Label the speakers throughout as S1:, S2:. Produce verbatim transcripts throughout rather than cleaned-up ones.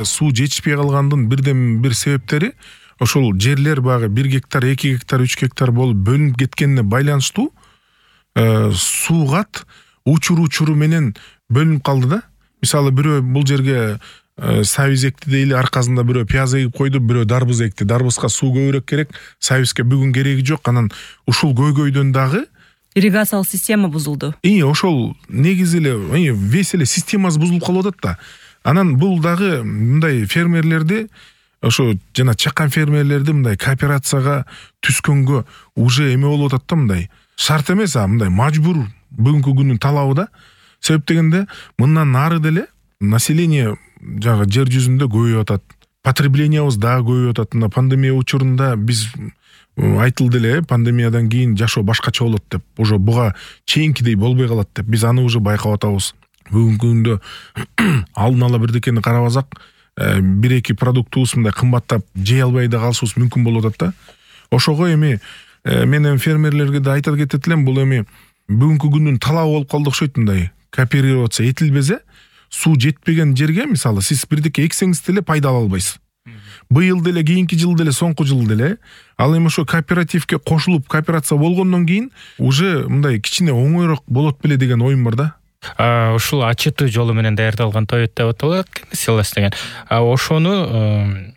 S1: суу жетишпей калгандын бирден бир себептери ошол жерлер багы бир гектар, эки гектар, үч гектар болуп бөлүнүп кеткенине байланыштуу суугат учур учуру менен бөлүнүп калды да. Мисалы бирөө бул жерге сабиз экти дейли, аркасында бирөө пияз эгип койду, бирөө дарбыз экти. Дарбызга суу көбүрөөк керек, сабизге бүгүн кереги жок. Анан ушул көйгөйдөн дагы
S2: ирригациялык система бузулду.
S1: И ошол негизи эле весь эле системасы бузулуп калып атат да. Анан бул дагы мындай фермерлерди, ошо жана чакан фермерлерди мындай кооперацияга түскөнгө уже эме болуп атат да, мындай шарт эмес, а мындай мажбур бүгүнкү күнүн талабы да. Себеп дегенде мындан нары деле население жагы жер жүзүндө көбөйүп атат. Потреблениябыз дагы көбөйүп атат. Мына пандемия учурунда биз айтылды эле, пандемиядан кийин жашоо башкача болот деп, уже буга чейинкидей болбой калат деп. Биз аны уже байкап атабыз. Бүгүнкү күндө алдын ала бирдекени карабасак, бир эки продуктубуз мындай кымбаттап жей албай да калышыбыз мүмкүн болуп атат да. Ошого эми мен эми фермерлерге да айта кетет элем, бул эми бүгүнкү күндүн талабы болуп калды окшойт. Мындай кооперироваться этилбесе, суу жетпеген жерге мисалы сиз бирдеке эксеңиз деле пайда ала албайсыз. Быйыл деле, кийинки жыл деле, соңку жыл деле. Ал эми ошо кооперативге кошулуп кооперация болгондон кийин уже мындай кичине оңойрок болот беле деген оюм бар да.
S3: Ушул ачыты жолу менен даярдалган тоет деп аталат, силос деген. Ошону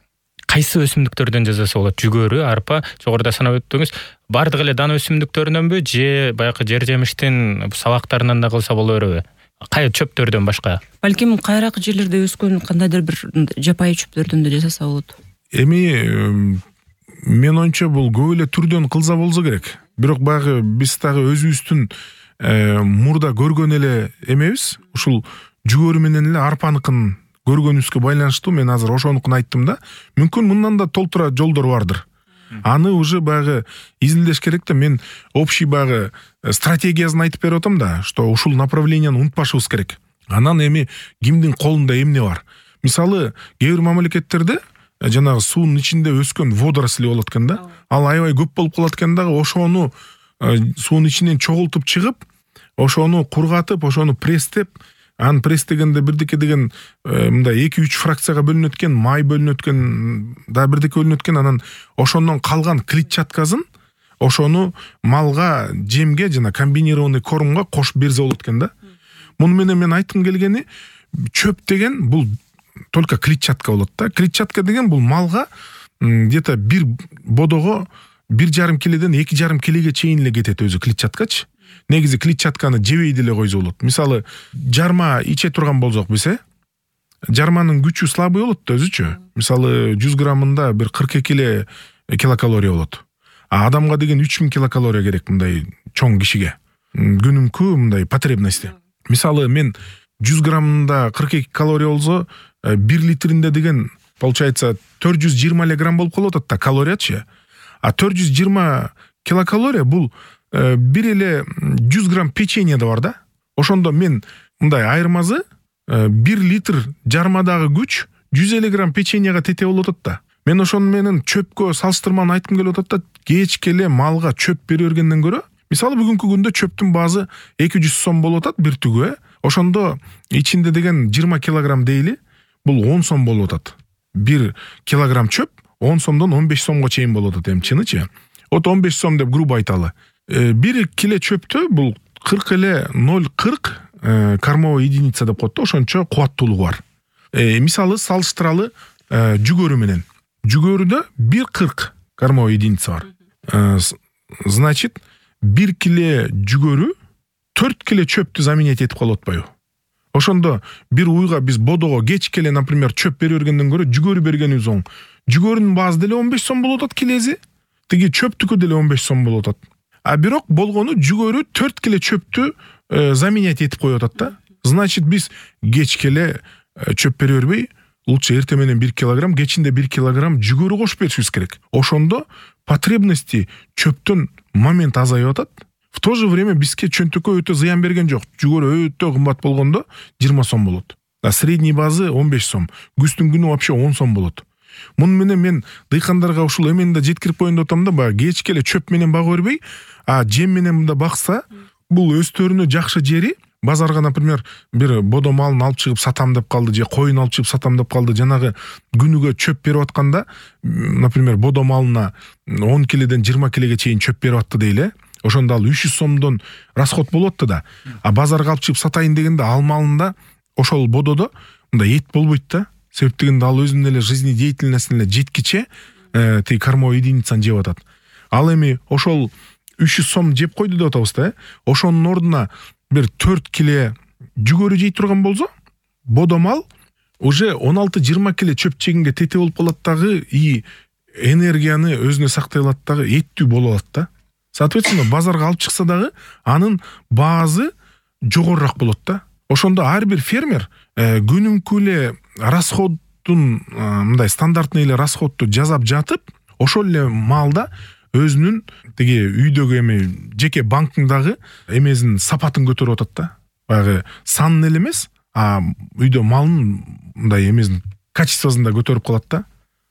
S3: кайсы өсүмдүктөрдөн жасаса болот? Жүгөрү, арпа, жогоруда санап өттүңүз. Бардык эле дан өсүмдүктөрүнөнбү же баягы жер жемиштин сабактарынан да кылса боло береби? Кай чөптөрдөн башка?
S2: Балким кайрак жерлерде өскөн кандайдыр бир жапайы чөптөрдөн да жасаса болот.
S1: Эми мен оюмча бул көп эле түрдөн кылса болсо керек. Бирок баягы биз дагы өзүбүздүн мурда көргөн эле эмебиз. Ушул жүгөрү менен эле арпаныкын көргөнүбүзгө байланыштуу мен азыр ошонукун айттым да. Мүмкүн мындан да толтура жолдор бардыр. Аны уже баягы изилдеш керек да. Мен общий баягы стратегиясын айтып берип атам да, что ушул направленияны унутпашыбыз керек. Анан эми кимдин колунда эмне бар? Мисалы, кээ бир мамлекеттерде жанагы суунун ичинде өскөн водоросли болот экен да. Ал аябай көп болуп калат экен дагы, ошону суунун ичинен чогултуп чыгып, ошону кургатып, ошону пресстеп, аны пресстегенде бирдеке деген мындай эки үч фракцияга бөлүнөт экен, май бөлүнөт экен, да бирдеке бөлүнөт экен. Анан ошондон калган клетчаткасын ошону малга, жемге жана комбинированный кормго кошуп берсе болот экен да. Муну менен мен айткым келгени, чөп деген бул только клетчатка болот да. Клетчатка деген бул малга где-то бир бодого бир жарым киледен эки жарым килеге чейин эле кетет өзү клетчаткачы. Негизи клетчатканы жебей деле койсо болот. Мисалы, жарма иче турган болсок биз, жарманын күчү слабый болот да өзүчө. Мисалы, жүз граммында бир кырк эки эле килокалория болот. А адамга деген үч миң килокалория керек мындай чоң кишиге. Күнүмкү мындай потребности. Мисалы, мен жүз граммында кырк эки калория болсо, бир литринде деген получается төрт жүз жыйырма эле грамм болуп калып атат да калориячы. А төрт жүз жыйырма килокалория бул бир эле жүз грамм печенье да бар да. Ошондо мен мындай айырмасы бир литр жармадагы күч жүз элүү грамм печеньега тете болуп атат да. Мен ошону менен чөпкө салыштырманы айткым келип атат да. Кечке эле малга чөп бере бергенден көрө, мисалы бүгүнкү күндө чөптүн баазы эки жүз сом болуп атат бир түгү. Ошондо ичинде деген жыйырма килограмм дейли, бул он сом болуп атат. Бир килограмм чөп он сомдон он беш сомго чейин болуп атат эми чынычы. Вот он беш сом деп грубо айталы. Бир киле чөптө бул кырк эле ноль кырк кормовой единица деп коет да, ошончо кубаттуулугу бар. Мисалы салыштыралы жүгөрү менен. Жүгөрүдө бир кырк кормовой единица бар. Значит, бир киле жүгөрү төрт киле чөптү заменять этип калып атпайбы? Ошондо бир уйга биз бодого кечке эле, например, чөп бере бергенден көрө жүгөрү бергенибиз оң. Жүгөрүнүн баазы деле он беш сом болуп атат килеси, тиги чөптүкү деле он беш сом болуп атат. А бирок болгону жүгөрү төрт киле чөптү заменять этип коюп атат да. Значит, биз кечке эле чөп бере бербей, лучше эртең менен бир килограмм, кечинде бир килограмм жүгөрү кошуп беришибиз керек. Ошондо потребности чөптөн момент азайып атат. В то же время бизге чөнтөккө өтө зыян берген жок. Жүгөрү өтө кымбат болгондо жыйырма сом болот. А средний базы он беш сом. Күздүн күнү вообще он сом болот. Муну менен мен дыйкандарга ушул эмени да жеткирип коеюн деп атам да, баягы кечке эле чөп менен бага бербей, а жем менен да бакса, бул өстөрүнө жакшы жери, базарга, например, бир бодо малын алып чыгып сатам деп калды же коюн алып чыгып сатам деп калды, жанагы күнүгө чөп берип атканда, например, бодо малына он киледен жыйырма килеге чейин чөп берип атты дейли. Ошондо ал үч жүз сомдон расход болот да. А базарга алып чыгып сатайын дегенде ал малында ошол бододо мындай эт болбойт да. Себеп дегенде ал өзүнүн эле жизнедеятельностуна эле жеткиче тиги кормовой единицаны жеп атат. Ал эми ошол үч жүз сом жеп койду деп атабыз да. Ошонун ордуна бир төрт киле жүгөрү жей турган болсо, бодо мал уже он алты жыйырма киле чөп жегенге тете болуп калат дагы, и энергияны өзүнө сактай алат дагы, эттүү боло алат да. Соответственно, базарга алып чыкса дагы анын баазы жогорураак болот да. Ошондо ар бир фермер күнүмкү эле расходдун мындай стандартный эле расходду жасап жатып, ошол эле маалда өзүнүн тиги үйдөгү эми жеке банкындагы эмесин сапатын көтөрүп атат да. Баягы санын эле эмес, а үйдө малын мындай эмесин качествосын да көтөрүп калат да.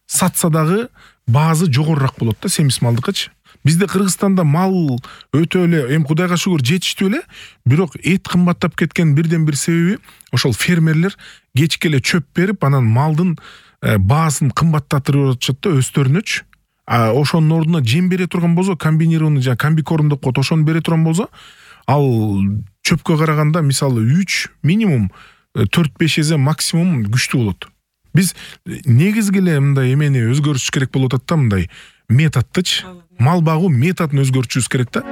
S1: Сатса дагы баазы жогорураак болот да, семиз малдыкычы. Бизде Кыргызстанда мал өтө эле, эми Кудайга шүгүр жетиштүү эле, бирок эт кымбаттап кеткен бирден бир себеби ошол фермерлер кечке эле чөп берип, анан малдын баасын кымбаттатырып атышат да өздөрүнөчү. А ошонун ордуна жем бере турган болсо, комбинированный жана комбикорм деп коет, ошону бере турган болсо, ал чөпкө караганда мисалы үч минимум төрт беш эсе максимум күчтүү болот. Биз негизги эле мындай эмени өзгөртүш керек болуп атат да, мындай методтучу. Мал багуу методун өзгөртүшүбүз керек да.